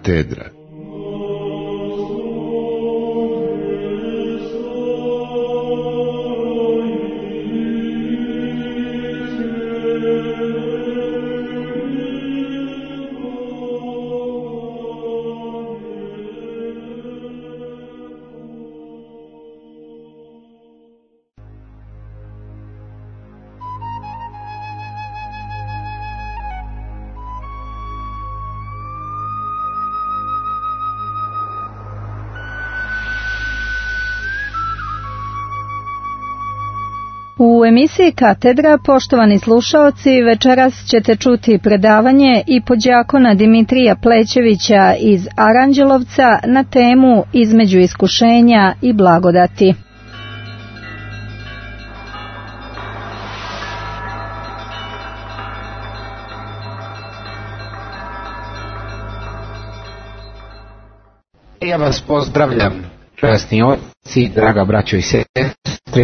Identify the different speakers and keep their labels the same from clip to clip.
Speaker 1: katedra.
Speaker 2: U emisiji Katedra, poštovani slušaoci, večeras ćete čuti predavanje i podjakona Dimitrija Plećevića iz Aranđelovca na temu Između iskušenja i blagodati.
Speaker 3: Ja vas pozdravljam, časni oci, draga braćo i sestre,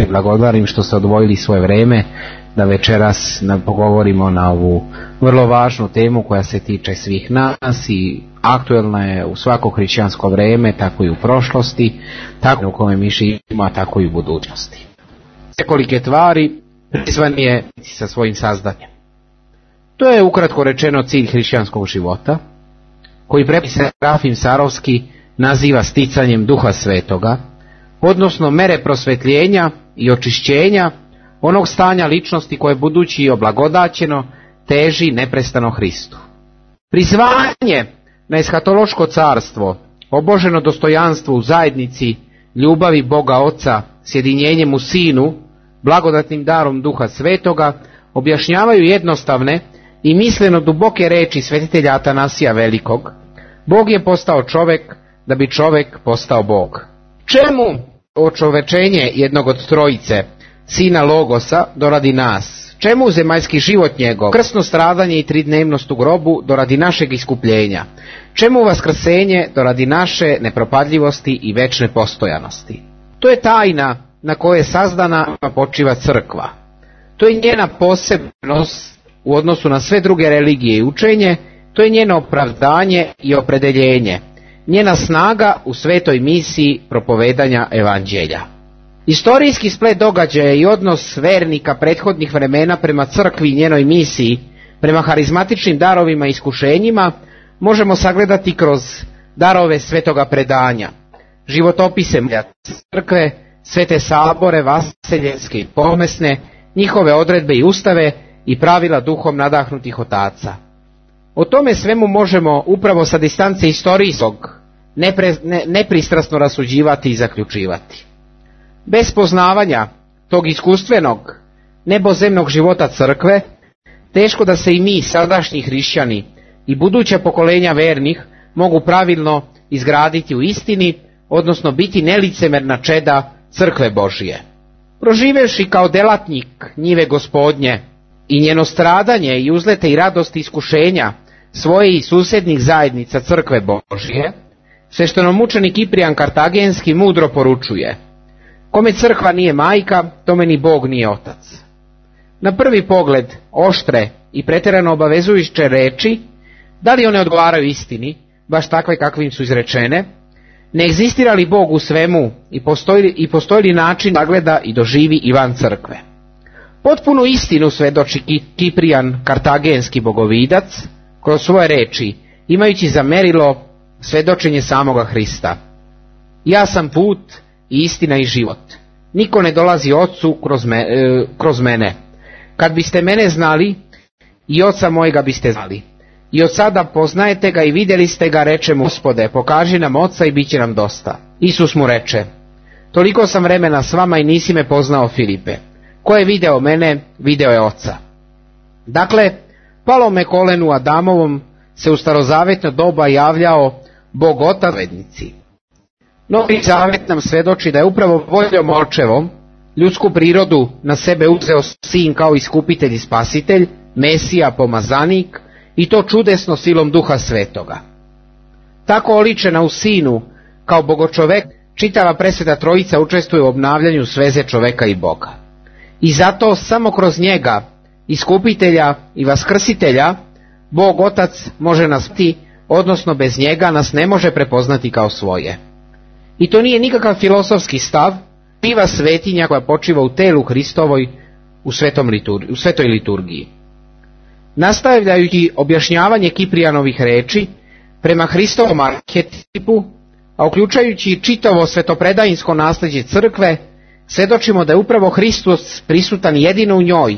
Speaker 3: blagodarim što ste odvojili svoje vreme da večeras pogovorimo na ovu vrlo važnu temu koja se tiče svih nas i aktuelna je u svako hrišćansko vreme, tako i u prošlosti, tako u kome mi živimo, a tako i u budućnosti. Nekolike tvari prizvan je sa svojim sazdanjem. To je ukratko rečeno cilj hrišćanskog života, koji prepis Serafim Sarovski naziva sticanjem Duha Svetoga, odnosno mere prosvetljenja i očišćenja onog stanja ličnosti koje budući oblagodaćeno teži neprestano Hristu. Prizvanje na eshatološko carstvo, oboženo dostojanstvo u zajednici, ljubavi Boga Oca, sjedinjenjem u Sinu, blagodatnim darom Duha Svetoga, objašnjavaju jednostavne i misleno duboke reči svetitelja Atanasija Velikog: Bog je postao čovek da bi čovek postao Bog. Čemu očovečenje jednog od trojice, Sina Logosa, doradi nas? Čemu zemaljski život njegov, krsno stradanje i tridnevnost u grobu doradi našeg iskupljenja? Čemu vaskrsenje doradi naše nepropadljivosti i večne postojanosti? To je tajna na kojoj je sazdana počiva crkva. To je njena posebnost u odnosu na sve druge religije i učenje, to je njeno opravdanje i opredeljenje, njena snaga u svetoj misiji propovedanja evanđelja. Istorijski splet događaja i odnos vernika prethodnih vremena prema crkvi i njenoj misiji, prema harizmatičnim darovima i iskušenjima, možemo sagledati kroz darove svetoga predanja, životopise crkve, svete sabore, vaseljenske i pomesne, njihove odredbe i ustave i pravila duhom nadahnutih otaca. O tome svemu možemo upravo sa distance istorijskog nepristrasno rasuđivati i zaključivati. Bez poznavanja tog iskustvenog nebozemnog života crkve, teško da se i mi, sadašnji hrišćani i buduća pokolenja vernih, mogu pravilno izgraditi u istini, odnosno biti nelicemerna čeda crkve Božije. Proživevši kao delatnik njive Gospodnje i njeno stradanje i uzlete i radosti iskušenja svoje i susjednih zajednica crkve Božije, sveštenomučenik Kiprijan Kartagenski mudro poručuje: kome crkva nije majka, tome ni Bog nije otac. Na prvi pogled oštre i pretjerano obavezujuće reči, da li one odgovaraju istini, baš takve kakvim su izrečene? Ne egzistira li Bog u svemu i postoji li način da gleda i doživi i van crkve? Potpunu istinu svedoči Kiprijan Kartagenski bogovidac kroz svoje reči, imajući za merilo svedočenje samoga Hrista. Ja sam put i istina i život. Niko ne dolazi Otcu kroz mene. Kad biste mene znali, i Oca mojega biste znali. I od sada poznajete ga i vidjeli ste ga, reče mu: Gospode, pokaži nam Oca i bit će nam dosta. Isus mu reče: toliko sam vremena s vama i nisi me poznao, Filipe. Ko je video mene, video je Oca. Dakle, palome kolenu Adamovom se u starozavetno doba javljao Bog Otac vednici. Novi zavet nam svedoči da je upravo voljom očevom ljudsku prirodu na sebe uzeo Sin kao iskupitelj i spasitelj, Mesija, pomazanik, i to čudesno silom Duha Svetoga. Tako oličena u Sinu kao bogočovek, čitava presveta trojica učestvuje u obnavljanju sveze čoveka i Boga. I zato samo kroz njega, iskupitelja i vaskrsitelja, Bog Otac može nas odnosno bez njega nas ne može prepoznati kao svoje. I to nije nikakav filozofski stav, živa svetinja koja počiva u telu Hristovoj u svetoj liturgiji. Nastavljajući objašnjavanje Kiprijanovih reči prema Hristovom arhetipu, a uključujući čitavo svetopredajinsko nasljeđe crkve, svjedočimo da je upravo Hristos prisutan jedino u njoj,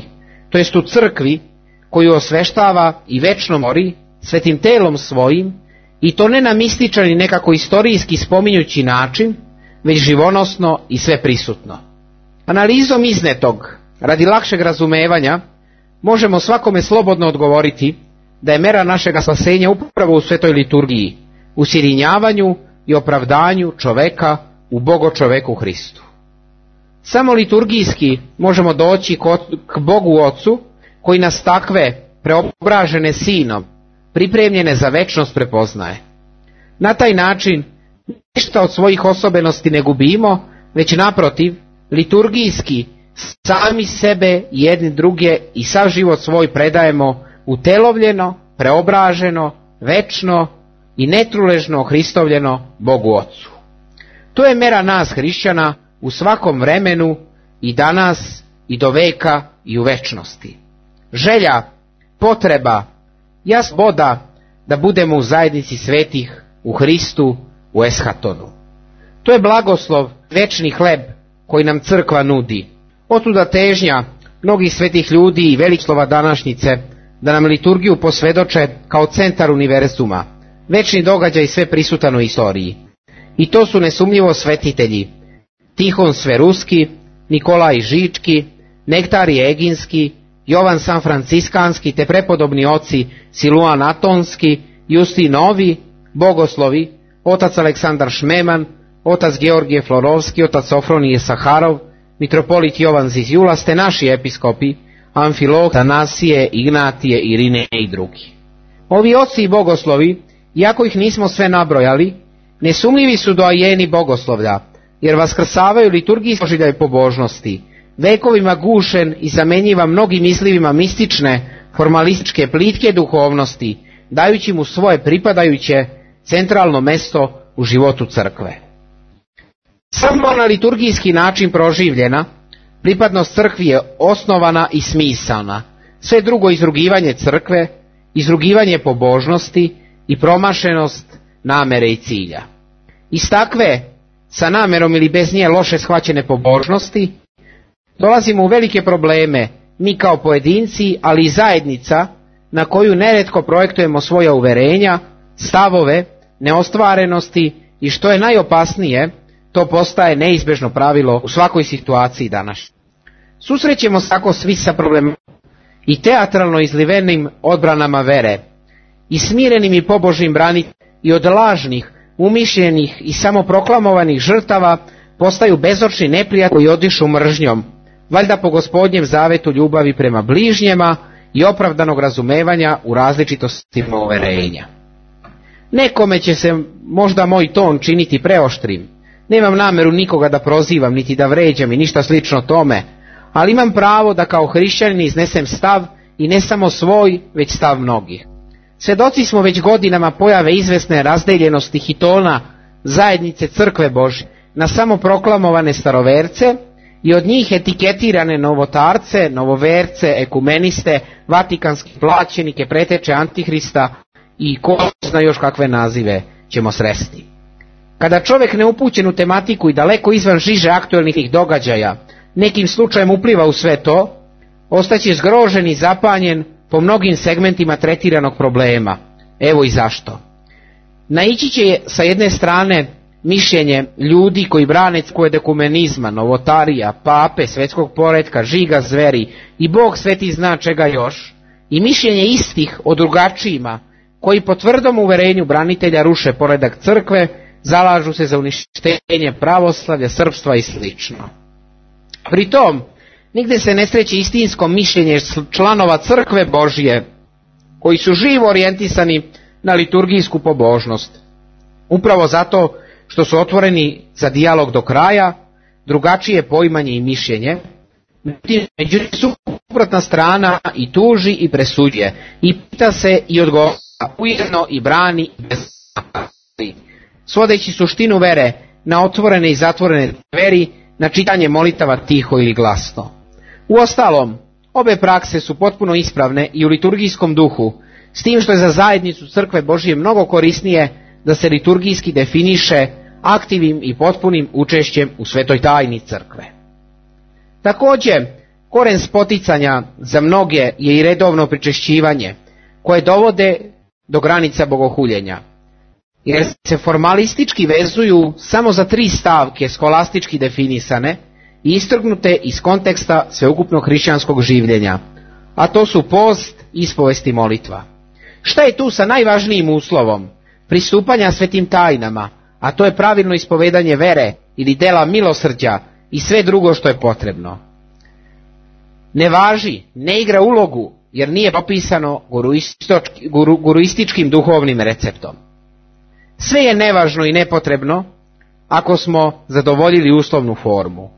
Speaker 3: to jest u crkvi koju osveštava i večno mori svetim telom svojim, i to ne na mističan i nekako istorijski spominjući način, već živonosno i sve prisutno. Analizom iznetog, radi lakšeg razumevanja, možemo svakome slobodno odgovoriti da je mera našega spasenja upravo u svetoj liturgiji, u sjedinjavanju i opravdanju čoveka u Bogočoveku Hristu. Samo liturgijski možemo doći k Bogu Ocu, koji nas takve preobražene Sinom, pripremljene za večnost, prepoznaje. Na taj način ništa od svojih osobenosti ne gubimo, već naprotiv, liturgijski sami sebe, jedni druge i sav život svoj predajemo utelovljeno, preobraženo, večno i netruležno Hristovljeno Bogu Ocu. To je mera nas hrišćana u svakom vremenu, i danas i do veka i u večnosti. Želja, potreba, sloboda da budemo u zajednici svetih u Hristu, u eshatonu. To je blagoslov, večni hleb koji nam crkva nudi. Otuda težnja mnogih svetih ljudi i veličslova današnjice da nam liturgiju posvjedoče kao centar univerzuma, večni događaj sve prisutan u istoriji. I to su nesumnjivo svetitelji Tihon Sveruski, Nikolaj Žički, Nektarije Eginski, Jovan San Franciskanski te prepodobni oci Siluan Atonski, Justin Novi, bogoslovi, otac Aleksandar Šmeman, otac Georgije Florovski, otac Sofronije Saharov, mitropolit Jovan Zizjulas te naši episkopi Amfilok, Tanasije, Ignatije, Irine i drugi. Ovi oci i bogoslovi, iako ih nismo sve nabrojali, nesumljivi su doajeni bogoslovlja, jer vaskrsavaju liturgijski doživljaj pobožnosti, vekovima gušen i zamjenjiva mnogim mislivima mistične, formalističke, plitke duhovnosti, dajući mu svoje pripadajuće centralno mesto u životu crkve. Samo na liturgijski način proživljena, pripadnost crkvi je osnovana i smisalna, sve drugo izrugivanje crkve, izrugivanje pobožnosti i promašenost namere i cilja. Iz takve, sa namerom ili bez nje loše shvaćene pobožnosti, dolazimo u velike probleme, mi kao pojedinci, ali i zajednica, na koju nerijetko projektujemo svoja uverenja, stavove, neostvarenosti i što je najopasnije, to postaje neizbježno pravilo u svakoj situaciji danas. Susrećemo se tako svi sa problemom i teatralno izlivenim odbranama vere, i smirenim i pobožnim braniteljima, i od lažnih, umišljenih i samoproklamovanih žrtava postaju bezočni neprijatelji koji odišu mržnjom, valjda po Gospodnjem zavetu ljubavi prema bližnjima i opravdanog razumevanja u različitostima uverenja. Nekome će se možda moj ton činiti preoštrim, nemam nameru nikoga da prozivam niti da vređam i ništa slično tome, ali imam pravo da kao hrišćanin iznesem stav, i ne samo svoj, već stav mnogih. Svjedoci smo već godinama pojave izvesne razdeljenosti hitona zajednice crkve Božje na samoproklamovane staroverce i od njih etiketirane novotarce, novoverce, ekumeniste, vatikanske plaćenike, preteče Antihrista i ko zna još kakve nazive ćemo sresti. Kada čovjek neupućen u tematiku i daleko izvan žiže aktualnih događaja nekim slučajem upliva u sve to, ostaće zgrožen i zapanjen po mnogim segmentima tretiranog problema. Evo i zašto. Naići će sa jedne strane mišljenje ljudi koji brane koje dekumenizma, novotarija, pape, svjetskog poretka, žiga zveri i Bog sveti zna čega još, i mišljenje istih o drugačijima koji po tvrdom uverenju branitelja ruše poredak crkve, zalažu se za uništenje pravoslavlja, srpstva i sl. Pri tom, nigde se ne sreće istinsko mišljenje članova crkve Božje, koji su živo orijentisani na liturgijsku pobožnost. Upravo zato što su otvoreni za dijalog do kraja, drugačije poimanje i mišljenje, međutim suprotna strana i tuži i presuđuje, i pita se i odgovara, ujedno i brani bez svodeći suštinu vere na otvorene i zatvorene dveri, na čitanje molitava tiho ili glasno. Uostalom, obe prakse su potpuno ispravne i u liturgijskom duhu, s tim što je za zajednicu Crkve Božije mnogo korisnije da se liturgijski definiše aktivnim i potpunim učešćem u svetoj tajni Crkve. Također, koren spoticanja za mnoge je i redovno pričešćivanje, koje dovode do granica bogohuljenja, jer se formalistički vezuju samo za 3 stavke skolastički definisane i istrgnute iz konteksta sveukupnog hrišćanskog življenja, a to su post, ispovest i molitva. Šta je tu sa najvažnijim uslovom pristupanja svetim tajnama, a to je pravilno ispovedanje vere ili dela milosrđa i sve drugo što je potrebno? Ne važi, ne igra ulogu, jer nije propisano guruističkim duhovnim receptom. Sve je nevažno i nepotrebno ako smo zadovoljili uslovnu formu.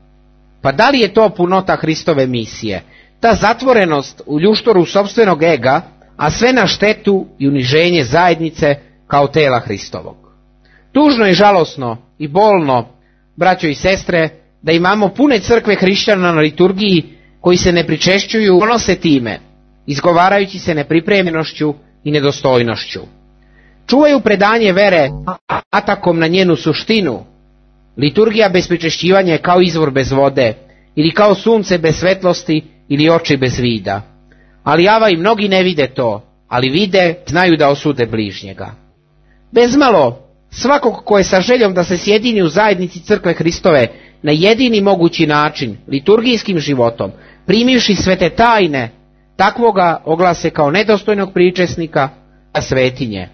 Speaker 3: Pa da li je to punota Hristove misije, ta zatvorenost u ljuštoru sopstvenog ega, a sve na štetu i uniženje zajednice kao tela Hristovog? Tužno i žalosno i bolno, braćo i sestre, da imamo pune crkve hrišćana na liturgiji koji se ne pričešćuju, ponose time, izgovarajući se nepripremljenošću i nedostojnošću. Čuvaju predanje vere atakom na njenu suštinu. Liturgija bez pričešćivanja je kao izvor bez vode, ili kao sunce bez svetlosti, ili oči bez vida. Ali java i mnogi ne vide to, ali vide, znaju da osude bližnjega. Bezmalo, svakog ko je sa željom da se sjedini u zajednici Crkve Hristove na jedini mogući način, liturgijskim životom, primivši svete tajne, takvoga oglase kao nedostojnog pričesnika svetinje,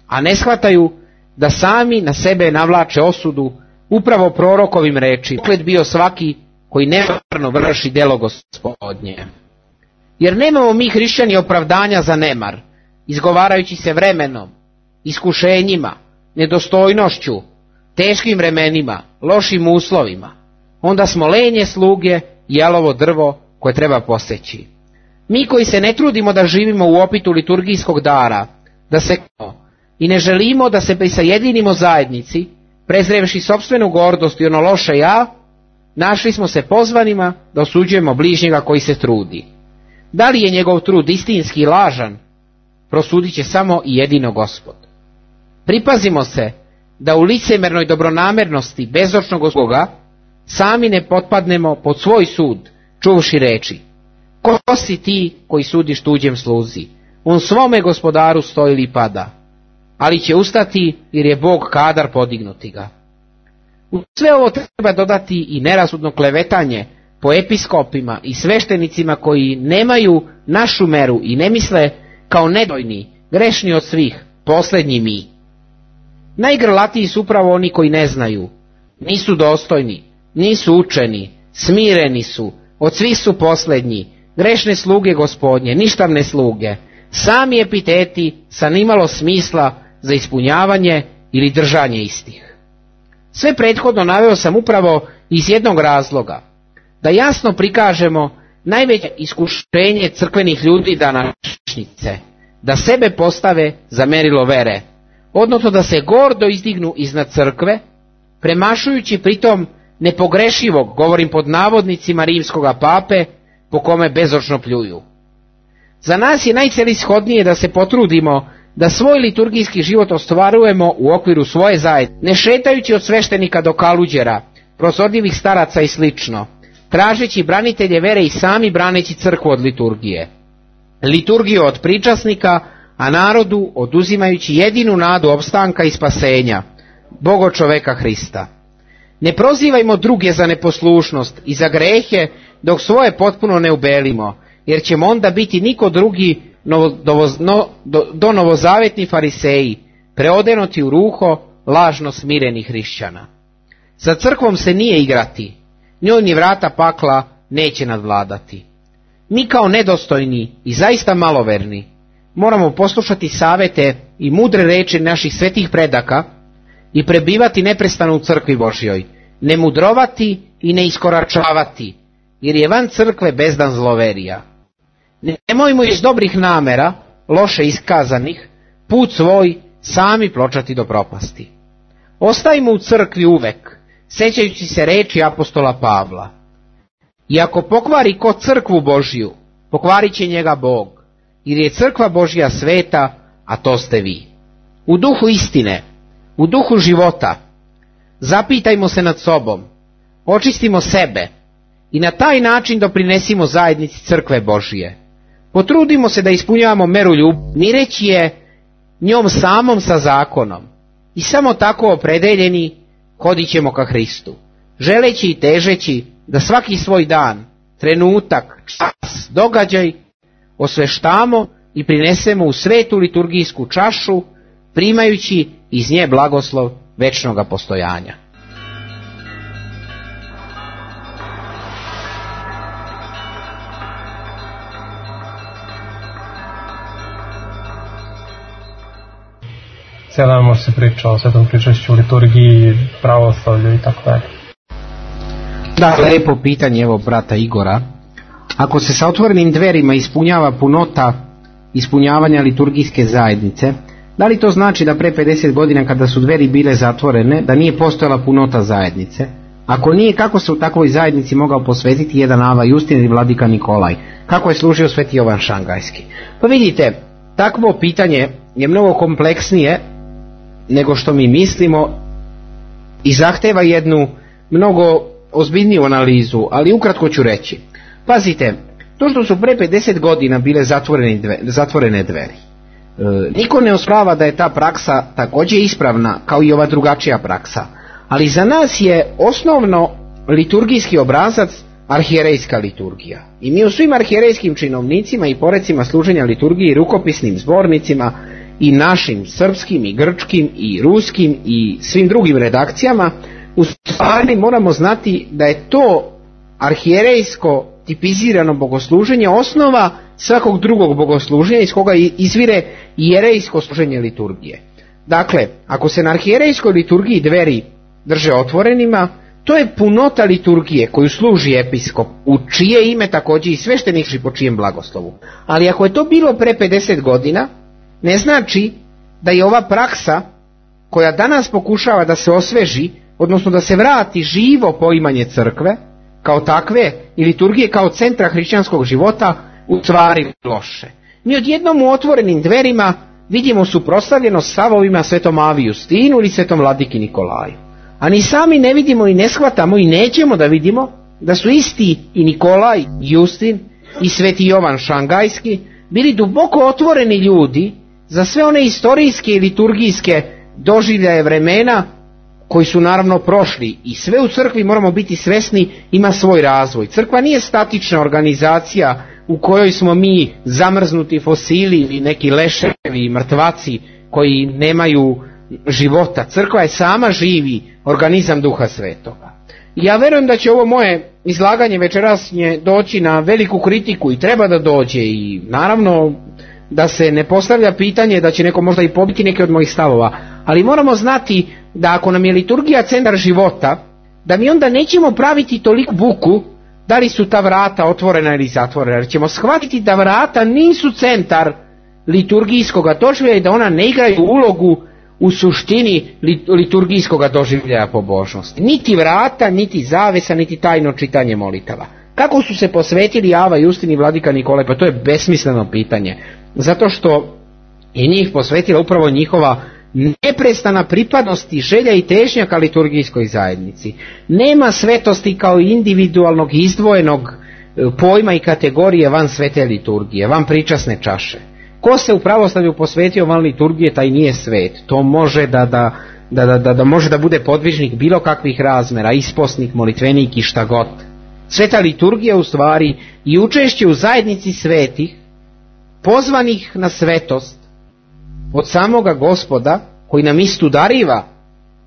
Speaker 3: a ne shvataju da sami na sebe navlače osudu upravo prorokovim reči, proklet bio svaki koji nemarno vrši delo Gospodnje. Jer nemamo mi hrišćani opravdanja za nemar, izgovarajući se vremenom, iskušenjima, nedostojnošću, teškim vremenima, lošim uslovima. Onda smo lenje sluge i jalovo drvo koje treba poseći. Mi koji se ne trudimo da živimo u opitu liturgijskog dara, da se i ne želimo da se prisajedinimo zajednici, prezrevši sopstvenu gordost i ono loše ja, našli smo se pozvanima da osuđujemo bližnjega koji se trudi. Da li je njegov trud istinski i lažan, prosudit će samo i jedino Gospod. Pripazimo se da u licemernoj dobronamernosti bezočnog Boga sami ne potpadnemo pod svoj sud, čuvši reči: ko si ti koji sudiš tuđem sluzi? On svome gospodaru stoji ili pada, ali će ustati jer je Bog kadar podignuti ga. U sve ovo treba dodati i nerasudno klevetanje po episkopima i sveštenicima koji nemaju našu meru i ne misle kao nedojni, grešni od svih, posljednji mi. Najgrlatiji su upravo oni koji ne znaju, nisu dostojni, nisu učeni, smireni su, od svih su posljednji, grešne sluge Gospodnje, ništavne sluge, sami epiteti sa nimalo smisla za ispunjavanje ili držanje istih. Sve prethodno naveo sam upravo iz jednog razloga, da jasno prikažemo najveće iskušenje crkvenih ljudi današnjice, da sebe postave za merilo vere, odnosno da se gordo izdignu iznad crkve, premašujući pritom nepogrešivog, govorim pod navodnicima, rimskoga pape, po kome bezočno pljuju. Za nas je najcelishodnije da se potrudimo da svoj liturgijski život ostvarujemo u okviru svoje zajednice, ne šetajući od sveštenika do kaluđera, prozorljivih staraca i slično, tražeći branitelje vere i sami braneći crkvu od liturgije. Liturgiju od pričasnika, a narodu oduzimajući jedinu nadu opstanka i spasenja, Bogo čoveka Hrista. Ne prozivajmo druge za neposlušnost i za grehe dok svoje potpuno ne ubelimo, jer ćemo onda biti niko drugi do novozavetni fariseji, preodenuti u ruho lažno smirenih hrišćana. Sa crkvom se nije igrati, njoj ni vrata pakla neće nadvladati. Mi kao nedostojni i zaista maloverni moramo poslušati savete i mudre reči naših svetih predaka i prebivati neprestano u crkvi Božjoj, ne mudrovati i ne iskoračavati, jer je van crkve bezdan zloverija. Nemojmo iz dobrih namera, loše iskazanih, put svoj sami pločati do propasti. Ostajmo u crkvi uvek, sećajući se reči apostola Pavla. I ako pokvari ko crkvu Božju, pokvarit će njega Bog, jer je crkva Božja sveta, a to ste vi. U duhu istine, u duhu života, zapitajmo se nad sobom, očistimo sebe i na taj način doprinesimo zajednici crkve Božije. Potrudimo se da ispunjavamo meru ljubavi, mireći je njom samom sa zakonom, i samo tako opredeljeni hodit ćemo ka Hristu, želeći i težeći da svaki svoj dan, trenutak, čas, događaj osveštamo i prinesemo u svetu liturgijsku čašu, primajući iz nje blagoslov večnoga postojanja.
Speaker 1: Cijela dan može se priča o svetom pričešću, liturgiji, pravoslavlju i tako dalje.
Speaker 3: Da, lepo pitanje evo brata Igora. Ako se sa otvorenim dverima ispunjava punota ispunjavanja liturgijske zajednice, da li to znači da pre 50 godina kada su dveri bile zatvorene, da nije postojala punota zajednice? Ako nije, kako se u takvoj zajednici mogao posvetiti jedan Ava Justin ili vladika Nikolaj? Kako je služio sveti Jovan Šangajski? Pa vidite, takvo pitanje je mnogo kompleksnije nego što mi mislimo i zahteva jednu mnogo ozbiljniju analizu, ali ukratko ću reći. Pazite, to što su pre 50 godina bile zatvorene dveri, niko ne osporava da je ta praksa također ispravna kao i ova drugačija praksa, ali za nas je osnovno liturgijski obrazac arhijerejska liturgija. I mi u svim arhijerejskim činovnicima i porecima služenja liturgiji, rukopisnim zbornicima i našim srpskim i grčkim i ruskim i svim drugim redakcijama, u stvari moramo znati da je to arhijerejsko tipizirano bogosluženje osnova svakog drugog bogosluženja iz koga izvire jerejsko služenje liturgije. Dakle, ako se na arhijerejskoj liturgiji dveri drže otvorenima, to je punota liturgije koju služi episkop, u čije ime također i sveštenik po čijem blagoslovu. Ali ako je to bilo pre 50 godina, ne znači da je ova praksa koja danas pokušava da se osveži, odnosno da se vrati živo poimanje crkve kao takve i liturgije kao centra hrišćanskog života, u stvari loše. Mi odjednom u otvorenim dverima vidimo suprotstavljenost stavovima svetom Avi Justinu ili svetom vladiki Nikolaju. A ni sami ne vidimo i ne shvatamo i nećemo da vidimo da su isti i Nikolaj, Justin i sveti Jovan Šangajski bili duboko otvoreni ljudi za sve one istorijske i liturgijske doživljaje vremena koji su naravno prošli, i sve u crkvi moramo biti svesni ima svoj razvoj. Crkva nije statična organizacija u kojoj smo mi zamrznuti fosili ili neki leševi i mrtvaci koji nemaju života. Crkva je sama živi organizam Duha Svetoga. Ja verujem da će ovo moje izlaganje večerasnje doći na veliku kritiku i treba da dođe, i naravno da se ne postavlja pitanje da će neko možda i pobiti neke od mojih stavova, ali moramo znati da ako nam je liturgija centar života, da mi onda nećemo praviti toliku buku da li su ta vrata otvorena ili zatvorena, jer ćemo shvatiti da vrata nisu centar liturgijskog doživljaja i da ona ne igraju ulogu u suštini liturgijskog doživljaja pobožnosti. Niti vrata, niti zavesa, niti tajno čitanje molitava. Kako su se posvetili Ava Justin i vladika Nikolaj? Pa to je besmisleno pitanje. Zato što je njih posvetila upravo njihova neprestana pripadnost i želja i težnja ka liturgijskoj zajednici. Nema svetosti kao individualnog izdvojenog pojma i kategorije van svete liturgije, van pričasne čaše. Ko se u pravoslavlju posvetio van liturgije, taj nije svet. To može da može da bude podvižnik bilo kakvih razmera, isposnik, molitvenik i šta god. Sveta liturgija u stvari i učešće u zajednici svetih, pozvanih na svetost od samoga Gospoda, koji nam istu dariva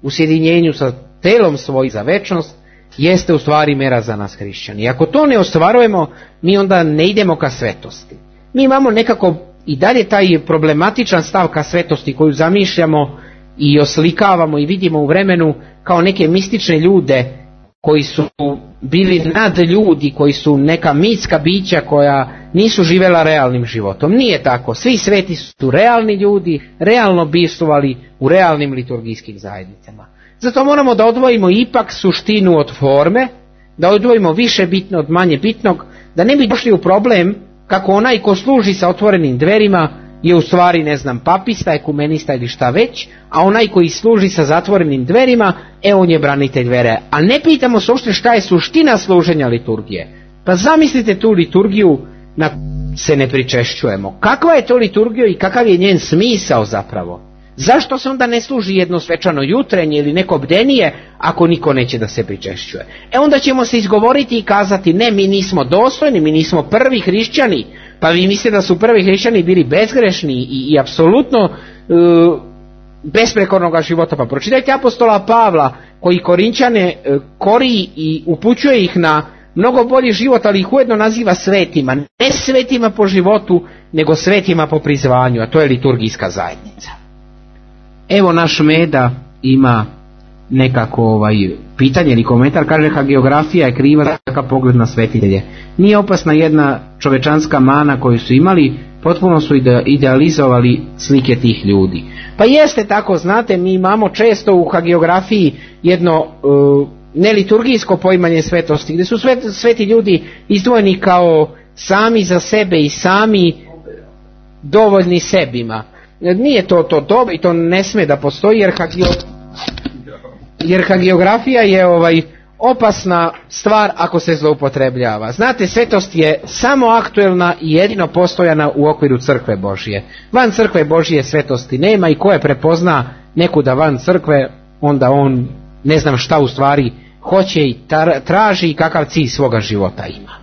Speaker 3: u sjedinjenju sa telom svojim za večnost, jeste u stvari mera za nas hrišćani. I ako to ne ostvarujemo, mi onda ne idemo ka svetosti. Mi imamo nekako i dalje taj problematičan stav ka svetosti koju zamišljamo i oslikavamo i vidimo u vremenu kao neke mistične ljude koji su bili nadljudi, koji su neka mitska bića koja nisu živela realnim životom. Nije tako. Svi sveti su realni ljudi, realno bivstvovali u realnim liturgijskim zajednicama. Zato moramo da odvojimo ipak suštinu od forme, da odvojimo više bitno od manje bitnog, da ne bi došli u problem kako onaj ko služi sa otvorenim dverima je u stvari, ne znam, papista, ekumenista ili šta već, a onaj koji služi sa zatvorenim dverima, on je branitelj vere. A ne pitamo se uopšte šta je suština služenja liturgije. Pa zamislite tu liturgiju na se ne pričešćujemo. Kakva je to liturgija i kakav je njen smisao zapravo? Zašto se onda ne služi jedno svečano jutrenje ili neko bdenije ako niko neće da se pričešćuje? Onda ćemo se izgovoriti i kazati ne, mi nismo dostojni, mi nismo prvi hrišćani. Pa vi mislite da su prvi hrišćani bili bezgrešni i apsolutno besprekornog života? Pa pročitajte apostola Pavla koji Korinćane kori i upućuje ih na mnogo bolji život, ali ih ujedno naziva svetima. Ne svetima po životu, nego svetima po prizvanju, a to je liturgijska zajednica. Evo naš Meda ima nekako pitanje ili komentar, kaže hagiografija je kriva za takav pogled na svetitelje. Nije opasna jedna čovečanska mana koju su imali, potpuno su idealizovali slike tih ljudi. Pa jeste tako, znate, mi imamo često u hagiografiji jedno neliturgijsko poimanje svetosti, gdje su sveti ljudi izdvojeni kao sami za sebe i sami dovoljni sebima. Nije to dobro i to ne sme da postoji, jer hagiografija je opasna stvar ako se zloupotrebljava. Znate, svetost je samo aktuelna i jedino postojana u okviru crkve Božije. Van crkve Božije svetosti nema i ko je prepozna nekuda van crkve, onda on ne znam šta u stvari hoće i traži i kakav cilj svoga života ima.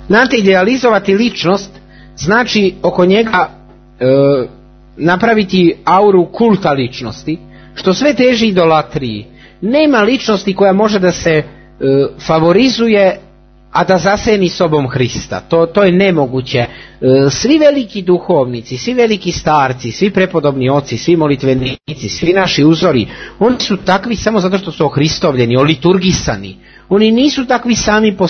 Speaker 3: Znate, idealizovati ličnost znači oko njega napraviti auru kulta ličnosti, što sve teži idolatriji. Nema ličnosti koja može da se favorizuje, a da zaseni sobom Hrista. To je nemoguće. Svi veliki duhovnici, svi veliki starci, svi prepodobni oci, svi molitvenici, svi naši uzori, oni su takvi samo zato što su ohristovljeni, oliturgisani. Oni nisu takvi sami po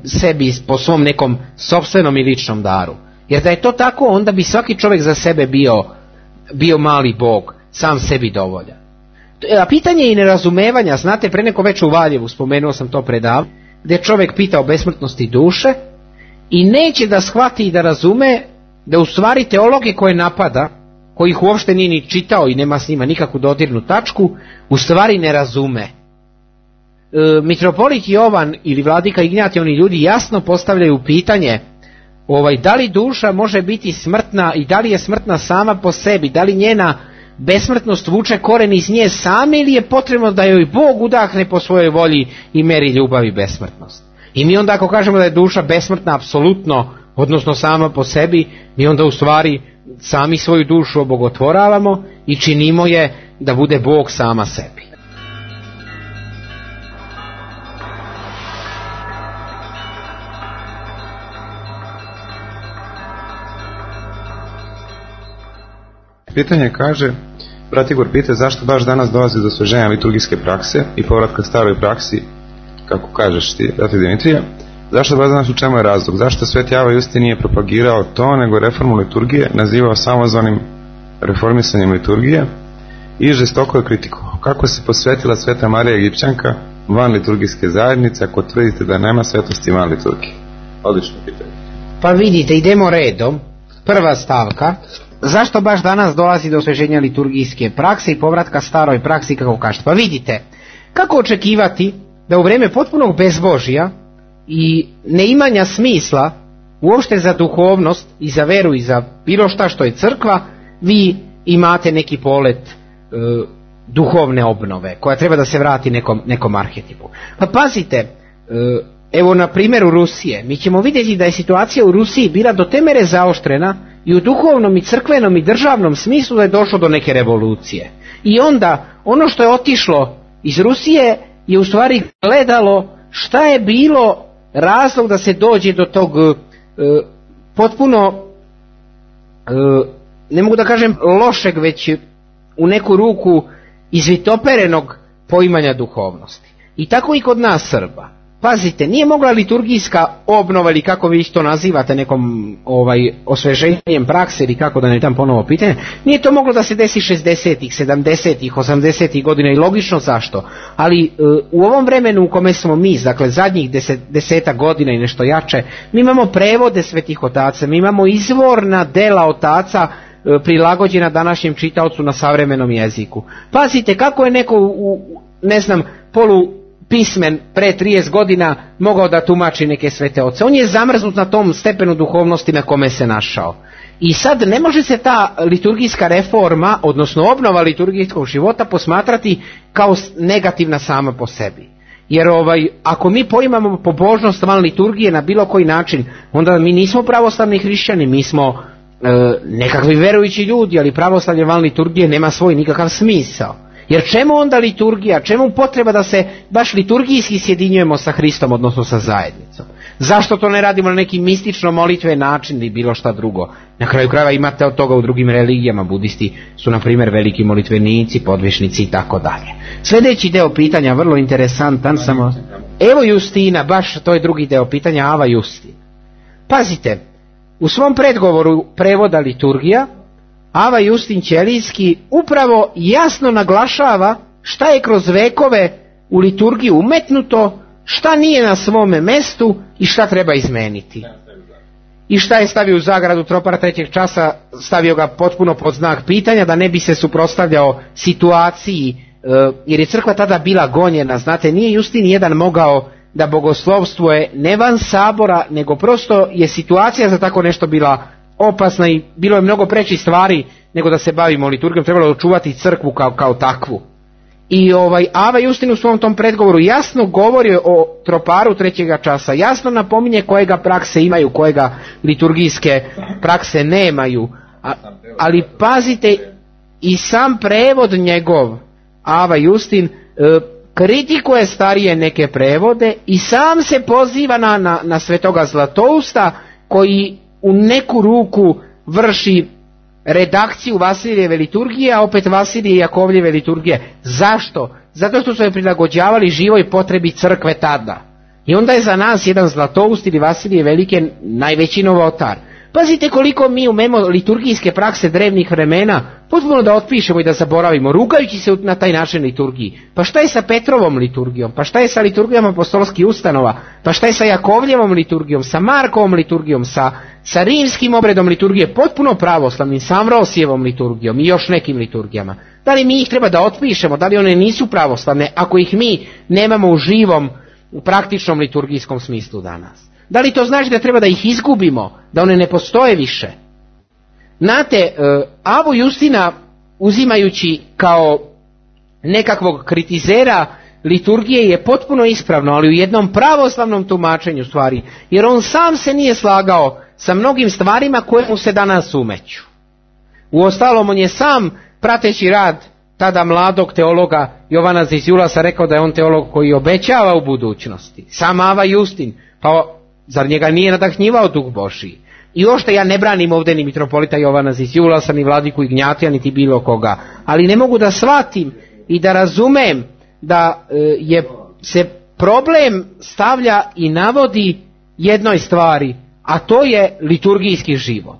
Speaker 3: sebi, po svom nekom sopstvenom i ličnom daru. Jer da je to tako, onda bi svaki čovjek za sebe bio mali Bog, sam sebi dovoljan. A pitanje i nerazumevanja, znate, pre neko već u Valjevu, spomenuo sam to predavno, gdje čovjek pita o besmrtnosti duše i neće da shvati i da razume da u stvari teologe koje napada, kojih uopšte nije ni čitao i nema s njima nikakvu dodirnu tačku, u stvari ne razume. Mitropolit Jovan ili vladika Ignjatij, oni ljudi jasno postavljaju pitanje da li duša može biti smrtna i da li je smrtna sama po sebi, da li njena besmrtnost vuče koren iz nje same ili je potrebno da joj Bog udahne po svojoj volji i meri ljubav i besmrtnost. I mi onda ako kažemo da je duša besmrtna apsolutno, odnosno sama po sebi, mi onda u stvari sami svoju dušu obogotvoravamo i činimo je da bude Bog sama sebi.
Speaker 4: Pitanje kaže, brat Igor pita zašto baš danas dolazi do osveženja liturgijske prakse i povratka staroj praksi, kako kažeš ti, brate Dimitrije, zašto baš danas, u čemu je razlog? Zašto Sveti Ava Justin nije propagirao to, nego reformu liturgije nazivao samozvanim reformisanjem liturgije i žestoko je kritikovao? Kako se posvetila Sveta Marija Egipćanka van liturgijske zajednice ako tvrdite da nema svetosti van liturgije? Odlično pitanje.
Speaker 3: Pa vidite, idemo redom. Prva stavka. Zašto baš danas dolazi do osveženja liturgijske prakse i povratka staroj praksi, kako kažete? Pa vidite, kako očekivati da u vrijeme potpunog bezbožja i neimanja smisla uopšte za duhovnost i za veru i za bilo šta što je crkva, vi imate neki polet duhovne obnove koja treba da se vrati nekom arhetipu. Pa pazite, evo na primjeru Rusije, mi ćemo vidjeti da je situacija u Rusiji bila do te mere zaoštrena i u duhovnom i crkvenom i državnom smislu da je došlo do neke revolucije. I onda ono što je otišlo iz Rusije je u stvari gledalo šta je bilo razlog da se dođe do tog potpuno ne mogu da kažem lošeg, već u neku ruku izvitoperenog poimanja duhovnosti. I tako i kod nas Srba. Pazite, nije mogla liturgijska obnova, ili kako vi to nazivate, nekom osveženjem prakse, ili kako da ne dam ponovo pitanje, nije to moglo da se desi 60-ih, 70-ih, 80-ih godina, i logično zašto. Ali u ovom vremenu u kome smo mi, dakle zadnjih 10 godina i nešto jače, mi imamo prevode svetih otaca, mi imamo izvorna dela otaca prilagođena današnjem čitaocu na savremenom jeziku. Pazite, kako je neko polupismen pre 30 godina mogao da tumači neke svete oce. On je zamrznut na tom stepenu duhovnosti na kome se našao. I sad ne može se ta liturgijska reforma, odnosno obnova liturgijskog života, posmatrati kao negativna sama po sebi. Jer ako mi poimamo pobožnost van liturgije na bilo koji način, onda mi nismo pravoslavni hrišćani, mi smo nekakvi verujući ljudi, ali pravoslavlje van liturgije nema svoj nikakav smisao. Jer čemu onda liturgija, čemu potreba da se baš liturgijski sjedinjujemo sa Hristom, odnosno sa zajednicom? Zašto to ne radimo na neki mistično molitven način ili bilo šta drugo? Na kraju krajeva imate od toga u drugim religijama, budisti su na primjer veliki molitvenici, podvešnici i tako dalje. Sljedeći deo pitanja, vrlo interesantan, samo evo Justina, baš to je drugi deo pitanja, Ava Justin. Pazite, u svom predgovoru prevoda liturgija, Ava Justin Ćelijski upravo jasno naglašava šta je kroz vekove u liturgiju umetnuto, šta nije na svome mestu i šta treba izmeniti. I šta je stavio u zagradu tropara trećeg časa, stavio ga potpuno pod znak pitanja da ne bi se suprotstavljao situaciji, jer je crkva tada bila gonjena. Znate, nije Justin jedan mogao da bogoslovstvuje ne van sabora, nego prosto je situacija za tako nešto bila opasna i bilo je mnogo prečih stvari nego da se bavimo liturgijom, trebalo je očuvati crkvu kao takvu. I Ava Justin u svom tom predgovoru jasno govori o troparu trećega časa, jasno napominje kojega prakse imaju, kojega liturgijske prakse nemaju, ali pazite, i sam prevod njegov, Ava Justin, kritikuje starije neke prevode i sam se poziva na svetoga Zlatousta, koji u neku ruku vrši redakciju Vasilijeve liturgije, a opet Vasilije i Jakovljeve liturgije. Zašto? Zato što su je prilagođavali živoj potrebi crkve tada. I onda je za nas jedan Zlatoust ili Vasilije Velike najveći novotar. Pazite koliko mi umemo liturgijske prakse drevnih vremena potpuno da otpišemo i da zaboravimo, rugajući se na taj način liturgiji. Pa šta je sa Petrovom liturgijom? Pa šta je sa liturgijom apostolskih ustanova? Pa šta je sa Jakovljevom liturgijom, sa Markovom liturgijom, sa rimskim obredom liturgije, potpuno pravoslavnim, sa Amvrosijevom liturgijom i još nekim liturgijama? Da li mi ih treba da otpišemo? Da li one nisu pravoslavne ako ih mi nemamo u živom, u praktičnom liturgijskom smislu danas? Da li to znači da treba da ih izgubimo, da one ne postoje više? Znate, Avu Justina uzimajući kao nekakvog kritizera liturgije je potpuno ispravno, ali u jednom pravoslavnom tumačenju stvari, jer on sam se nije slagao sa mnogim stvarima koje mu se danas umeću. Uostalom, on je sam, prateći rad tada mladog teologa Jovana Zizulasa, rekao da je on teolog koji obećava u budućnosti. Sam Ava Justin, pa zar njega nije nadahnjivao Duh Božji? I ošte ja ne branim ovdje ni mitropolita Jovana Zizulasa, ni vladiku Ignjatija, niti bilo koga, ali ne mogu da shvatim i da razumem da se problem stavlja i navodi jednoj stvari, a to je liturgijski život.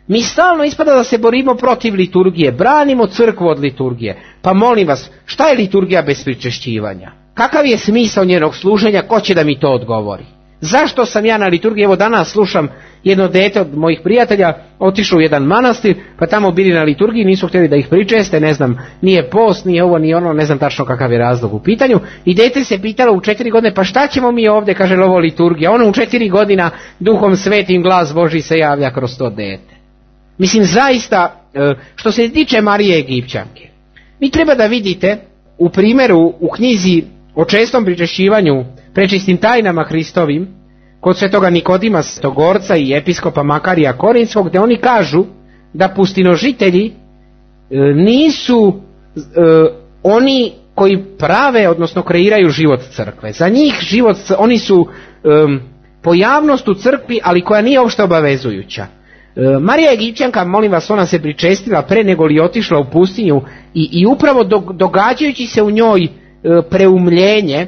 Speaker 3: Mi stalno ispada da se borimo protiv liturgije, branimo crkvu od liturgije. Pa molim vas, šta je liturgija bez pričešćivanja? Kakav je smisao njenog služenja, ko će da mi to odgovori? Zašto sam ja na liturgiji? Evo danas slušam jedno dete od mojih prijatelja, otišao u jedan manastir, pa tamo bili na liturgiji, nisu htjeli da ih pričeste, ne znam, nije post, nije ovo, nije ono, ne znam tačno kakav je razlog u pitanju. I dete se pitalo u 4 godine, pa šta ćemo mi ovdje, kaže ovo liturgija. Ono u 4 godina Duhom Svetim glas Božji se javlja kroz to dete. Mislim, zaista, što se tiče Marije Egipćanke, vi treba da vidite u primjeru u knjizi o čestom pričešćivanju prečistim tajnama Hristovim, kod svetoga Nikodima Stogorca i episkopa Makarija Korinskog, gdje oni kažu da pustinožitelji nisu oni koji prave, odnosno kreiraju život crkve. Za njih oni su pojavnost u crkvi, ali koja nije uopšte obavezujuća. Marija Egipćanka, molim vas, ona se pričestila pre nego li otišla u pustinju i upravo događajući se u njoj preumljenje,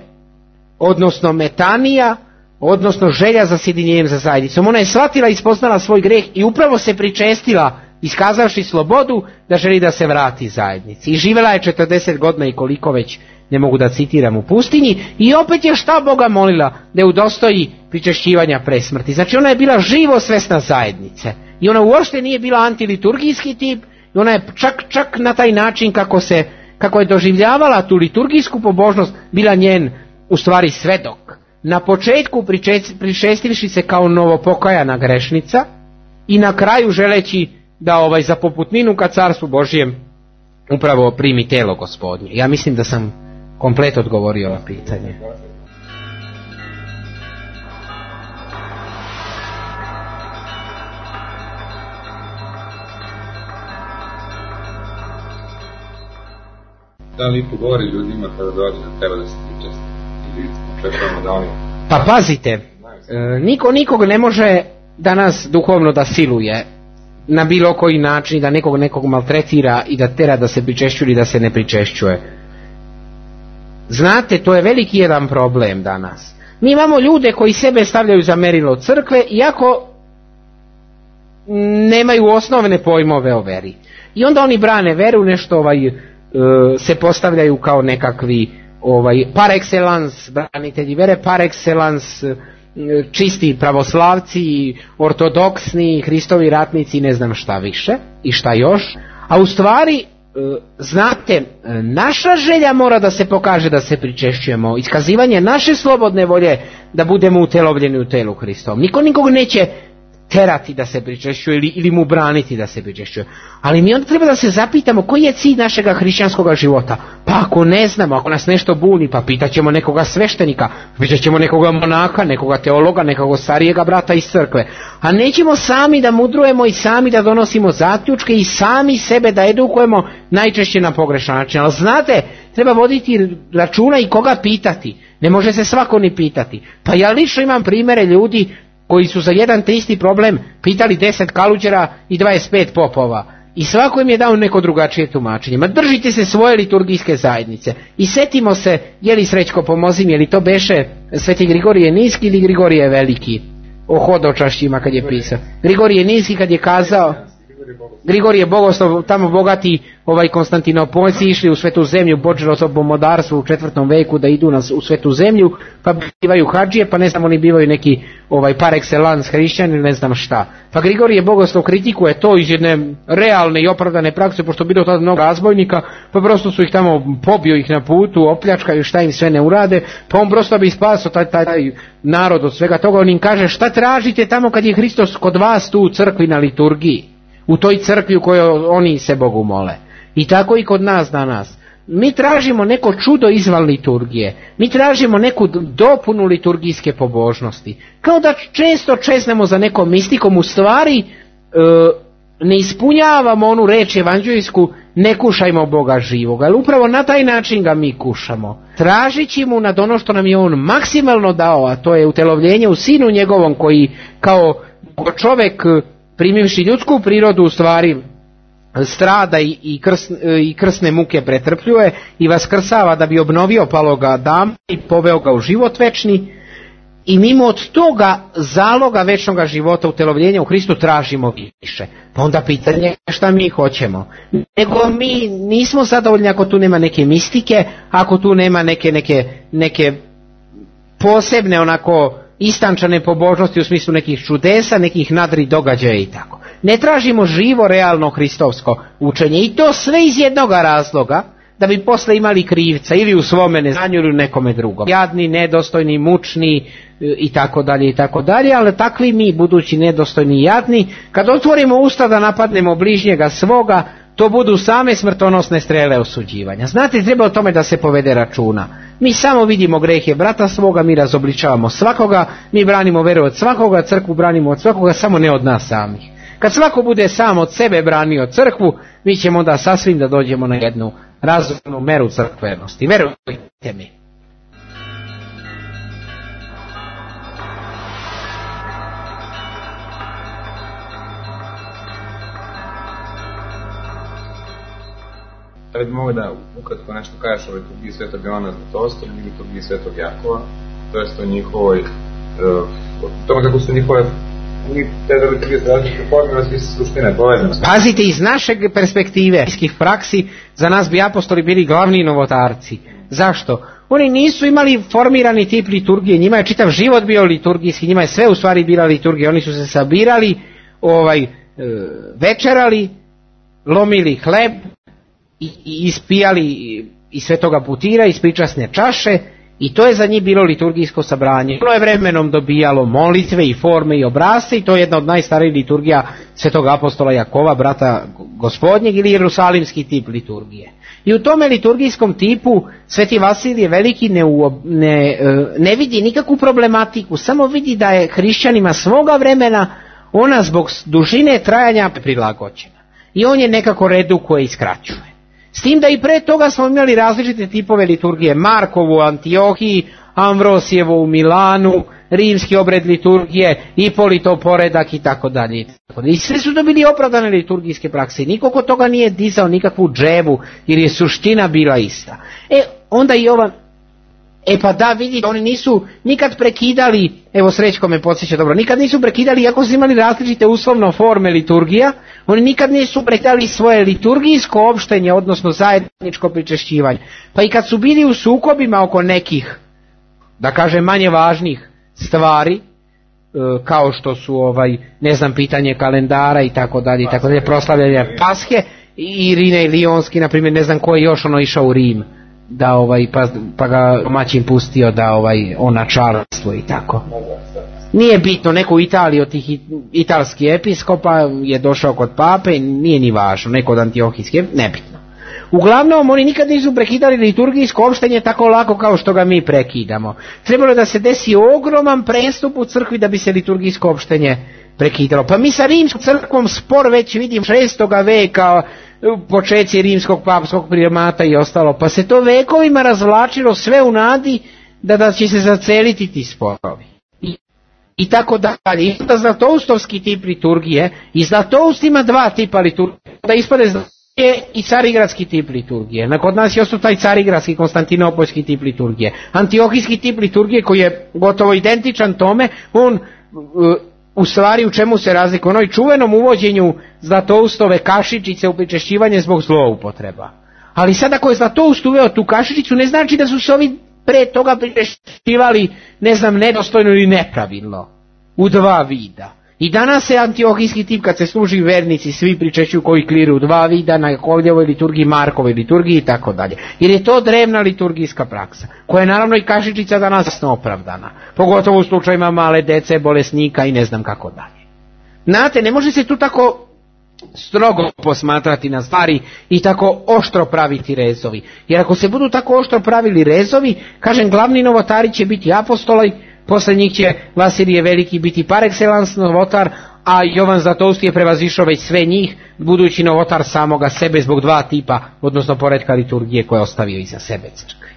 Speaker 3: odnosno metanija, odnosno želja za sjedinjenjem za zajednicom. Ona je shvatila i spoznala svoj greh i upravo se pričestila, iskazavši slobodu da želi da se vrati zajednici. I živjela je 40 godina i koliko već, ne mogu da citiram, u pustinji, i opet je šta Boga molila? Da je udostoji pričešćivanja pre smrti. Znači ona je bila živo svesna zajednice i ona uopšte nije bila antiliturgijski tip i ona je čak na taj način kako je doživljavala tu liturgijsku pobožnost bila njen u stvari svedok. Na početku pričestivši se kao novopokajana grešnica i na kraju želeći da za poputninu ka carstvu Božjem upravo primi telo Gospodnje. Ja mislim da sam komplet odgovorio na pitanje.
Speaker 4: Da li pogovori ljudima kada dođe da treba da se pričesti? Ili očekujemo da oni...
Speaker 3: Pa pazite, niko nikog ne može danas duhovno da siluje na bilo koji način, da nekog maltretira i da tera da se pričešćuje ili da se ne pričešćuje. Znate, to je veliki jedan problem danas. Mi imamo ljude koji sebe stavljaju za merilo crkve, iako nemaju osnovne pojmove o veri. I onda oni brane veru, nešto se postavljaju kao nekakvi par excellence branitelji vere, par excellence čisti pravoslavci, ortodoksni, Hristovi ratnici i ne znam šta više i šta još. A u stvari, znate, naša želja mora da se pokaže da se pričešćujemo, iskazivanje naše slobodne volje da budemo utelovljeni u telu Hristovom. Niko nikog neće terati da se pričešćuje ili mu braniti da se pričešćuje. Ali mi onda treba da se zapitamo koji je cilj našega hrišćanskog života. Pa ako ne znamo, ako nas nešto buni, pa pitaćemo nekoga sveštenika, pitaćemo nekoga monaka, nekoga teologa, nekog starijega brata iz crkve. A nećemo sami da mudrujemo i sami da donosimo zaključke i sami sebe da edukujemo, najčešće na pogrešan način. Ali znate, treba voditi računa i koga pitati. Ne može se svako ni pitati. Pa ja lično imam primjere ljudi koji su za jedan te isti problem pitali 10 kaluđera i 25 popova. I svako im je dao neko drugačije tumačenje. Ma držite se svoje liturgijske zajednice. I setimo se, je li Srećko pomozi mi, je li to beše Sveti Grigorije Niski ili Grigorije Veliki? O hodočašćima kad je pisao. Grigorije Niski kad je kazao, Grigorije Bogoslov, tamo bogati Konstantinopoljci išli u svetu zemlju, počelo to pomodarstvo u 4. veku da idu u svetu zemlju, pa bivaju hadžije, pa ne znam, oni bivaju neki par excellence hrišćani ili ne znam šta. Pa Grigorije Bogoslov kritikuje to iz jedne realne i opravdane prakse, pošto bilo tada mnogo razbojnika, pa prosto su ih tamo, pobio ih na putu, opljačkaju, šta im sve ne urade, pa on prosto bi spasao taj narod od svega toga. On im kaže, šta tražite tamo kad je Hristos kod vas tu u crkvi na liturgiji, u toj crkvi u kojoj oni se Bogu mole. I tako i kod nas danas. Mi tražimo neko čudo izvan liturgije. Mi tražimo neku dopunu liturgijske pobožnosti. Kao da često čeznemo za nekom mistikom, u stvari ne ispunjavamo onu reč evanđeljsku, ne kušajmo Boga živoga. Ali upravo na taj način ga mi kušamo. Tražići mu nad ono što nam je on maksimalno dao, a to je utelovljenje u Sinu njegovom, koji kao čovjek primivši ljudsku prirodu u stvari strada i krsne muke pretrpljuje i vaskrsava da bi obnovio paloga Adama i poveo ga u život večni, i mimo od toga zaloga večnog života, utelovljenja u Hristu, tražimo više. Pa onda pitanje šta mi hoćemo. Nego mi nismo zadovoljni ako tu nema neke mistike, ako tu nema neke posebne onako istančane pobožnosti u smislu nekih čudesa, nekih nadri događaja i tako. Ne tražimo živo, realno hristovsko učenje, i to sve iz jednog razloga, da bi posle imali krivca ili u svome neznanju ili u nekome drugom. Jadni, nedostojni, mučni i tako dalje, ali takvi mi, budući nedostojni i jadni, kad otvorimo usta da napadnemo bližnjega svoga, to budu same smrtonosne strele osuđivanja. Znate, treba o tome da se povede računa. Mi samo vidimo grehe brata svoga, mi razobličavamo svakoga, mi branimo veru od svakoga, crkvu branimo od svakoga, samo ne od nas samih. Kad svako bude sam od sebe branio crkvu, mi ćemo onda sasvim da dođemo na jednu razumnu meru crkvenosti. Verujte mi.
Speaker 4: Da li bi mogli da ukratko nešto kažeš o liturgiji Svetog Jovana Zlatousta i liturgiji Svetog Jakova, to jest o njihovoj, o tome kako su njihove te da liturgije su različite forme, ali svi su suštine povezane.
Speaker 3: Pazite, iz našeg perspektive, praksi, za nas bi apostoli bili glavni novotarci. Zašto? Oni nisu imali formirani tip liturgije, njima je čitav život bio liturgijski, njima je sve u stvari bila liturgija, oni su se sabirali, večerali, lomili hleb i ispijali iz svetoga putira, iz pričasne čaše i to je za njih bilo liturgijsko sabranje. Ono je vremenom dobijalo molitve i forme i obrasce i to je jedna od najstarijih liturgija svetog apostola Jakova, brata gospodnjeg, ili jerusalimski tip liturgije. I u tome liturgijskom tipu Sveti Vasilije Veliki ne vidi nikakvu problematiku, samo vidi da je hrišćanima svoga vremena ona zbog dužine trajanja prilagođena. I on je nekako redukuje i skraćuje. S tim da i pre toga smo imali različite tipove liturgije, Markovu u Antiohiji, Amvrosijevo u Milanu, rimski obred liturgije, Ipolitov poredak i tako dalje. I sve su to bili opravdane liturgijske prakse. Niko kod toga nije dizao nikakvu dževu jer je suština bila ista. Onda i ova... pa da, vidite, oni nisu nikad prekidali, evo Srećko me podsjeća dobro, nikad nisu prekidali, iako su imali različite uslovno forme liturgija, oni nikad nisu prekidali svoje liturgijsko opštenje, odnosno zajedničko pričešćivanje. Pa i kad su bili u sukobima oko nekih, da kažem, manje važnih stvari, kao što su pitanje kalendara i tako dalje, proslavljanje Pashe, i Irine i Lionski, na primjer, ne znam ko je još išao u Rim, da pa ga domaćin pustio da on na čarstvo i tako. Nije bitno, neko u Italiji od tih italskih episkopa je došao kod pape, nije ni važno, neko od antiohijskih, nebitno. Uglavnom, oni nikad nisu prekidali liturgijsko opštenje tako lako kao što ga mi prekidamo. Trebalo da se desi ogroman prestup u crkvi da bi se liturgijsko opštenje prekidalo. Pa mi sa rimskom crkvom spor već vidimo 6. veka, počeci rimskog papskog primata i ostalo, pa se to vekovima razvlačilo sve u nadi da će se zaceliti ti sporovi. I tako dalje. I da zlatoustovski tip liturgije, i Zlatoust ima dva tipa liturgije, da ispade i carigradski tip liturgije. Kod nas je ostao taj carigradski konstantinopoljski tip liturgije. Antiohijski tip liturgije koji je gotovo identičan tome, on u stvari u čemu se razlikuje? Onoj čuvenom uvođenju Zlatoustove kašičice u pričešćivanje zbog zloupotreba. Ali sad ako je Zlatoust uveo tu kašičicu, ne znači da su se ovi pre toga pričešćivali, nedostojno ili nepravilno, u dva vida. I danas se antiohijski tip, kad se služi vernici, svi pričešćuju koji kliru u dva vida, na Jakovljevoj liturgiji, Markovoj liturgiji i tako dalje. Jer je to drevna liturgijska praksa, koja je naravno i kašičica danas opravdana, pogotovo u slučajima male dece, bolesnika i ne znam kako dalje. Znate, ne može se tu tako strogo posmatrati na stvari i tako oštro praviti rezovi. Jer ako se budu tako oštro pravili rezovi, kažem, glavni novotari će biti apostoli, posle njih će Vasilije Veliki biti par excellence novotar, a Jovan Zlatoust je prevazišao već sve njih, budući novotar samoga sebe zbog dva tipa, odnosno poretka liturgije koje je ostavio iza sebe crkve.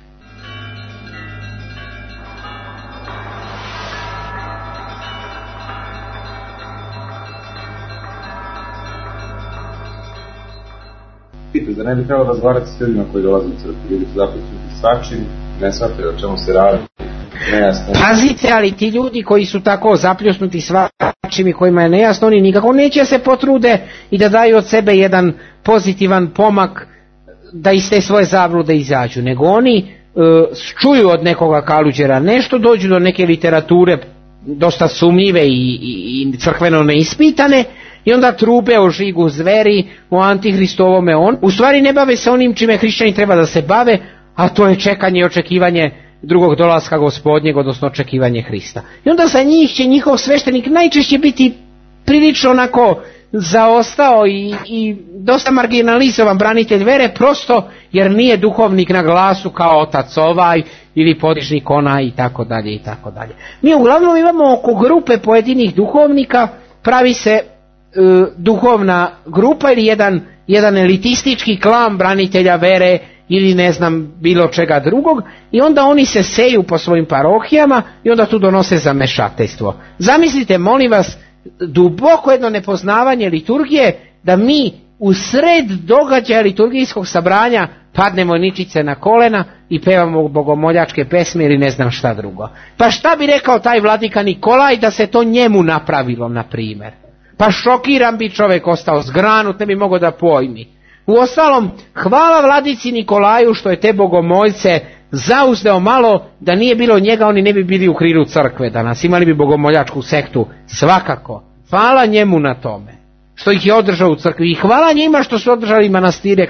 Speaker 4: Da ne bi trebalo razgovarati s ljudima koji dolaze u crkvu, ljudi su zapravo svačim, ne shvataju o čemu se radi.
Speaker 3: Pazite, ali ti ljudi koji su tako zapljusnuti svačim i kojima je nejasno, oni nikako neće se potrude i da daju od sebe jedan pozitivan pomak da iz te svoje zablude izađu, nego oni čuju od nekoga kaluđera nešto, dođu do neke literature dosta sumnjive i crkveno neispitane i onda trupe o žigu zveri, o antihristovome u stvari ne bave se onim čime hrišćani treba da se bave, a to je čekanje i očekivanje drugog dolaska Gospodnjeg, odnosno očekivanje Hrista. I onda za njih će njihov sveštenik najčešće biti prilično onako zaostao i dosta marginalizovan branitelj vere, prosto jer nije duhovnik na glasu kao otac ovaj ili podižnik onaj i tako dalje i tako dalje. Mi uglavnom imamo oko grupe pojedinih duhovnika, pravi se duhovna grupa ili jedan elitistički klan branitelja vere ili ne znam bilo čega drugog i onda oni se seju po svojim parohijama i onda tu donose zamešateljstvo. Zamislite, molim vas, duboko jedno nepoznavanje liturgije da mi u sred događaja liturgijskog sabranja padnemo ničice na kolena i pevamo bogomoljačke pesme ili ne znam šta drugo. Pa šta bi rekao taj vladika Nikolaj da se to njemu napravilo, na primjer? Pa šokiran bi čovjek ostao, zgranut, ne bi mogao da pojmi. Uostalom, hvala vladici Nikolaju što je te bogomoljce zauzdeo malo, da nije bilo njega oni ne bi bili u krilu crkve danas, imali bi bogomoljačku sektu, svakako. Hvala njemu na tome, što ih je održao u crkvi, i hvala njima što su održali manastire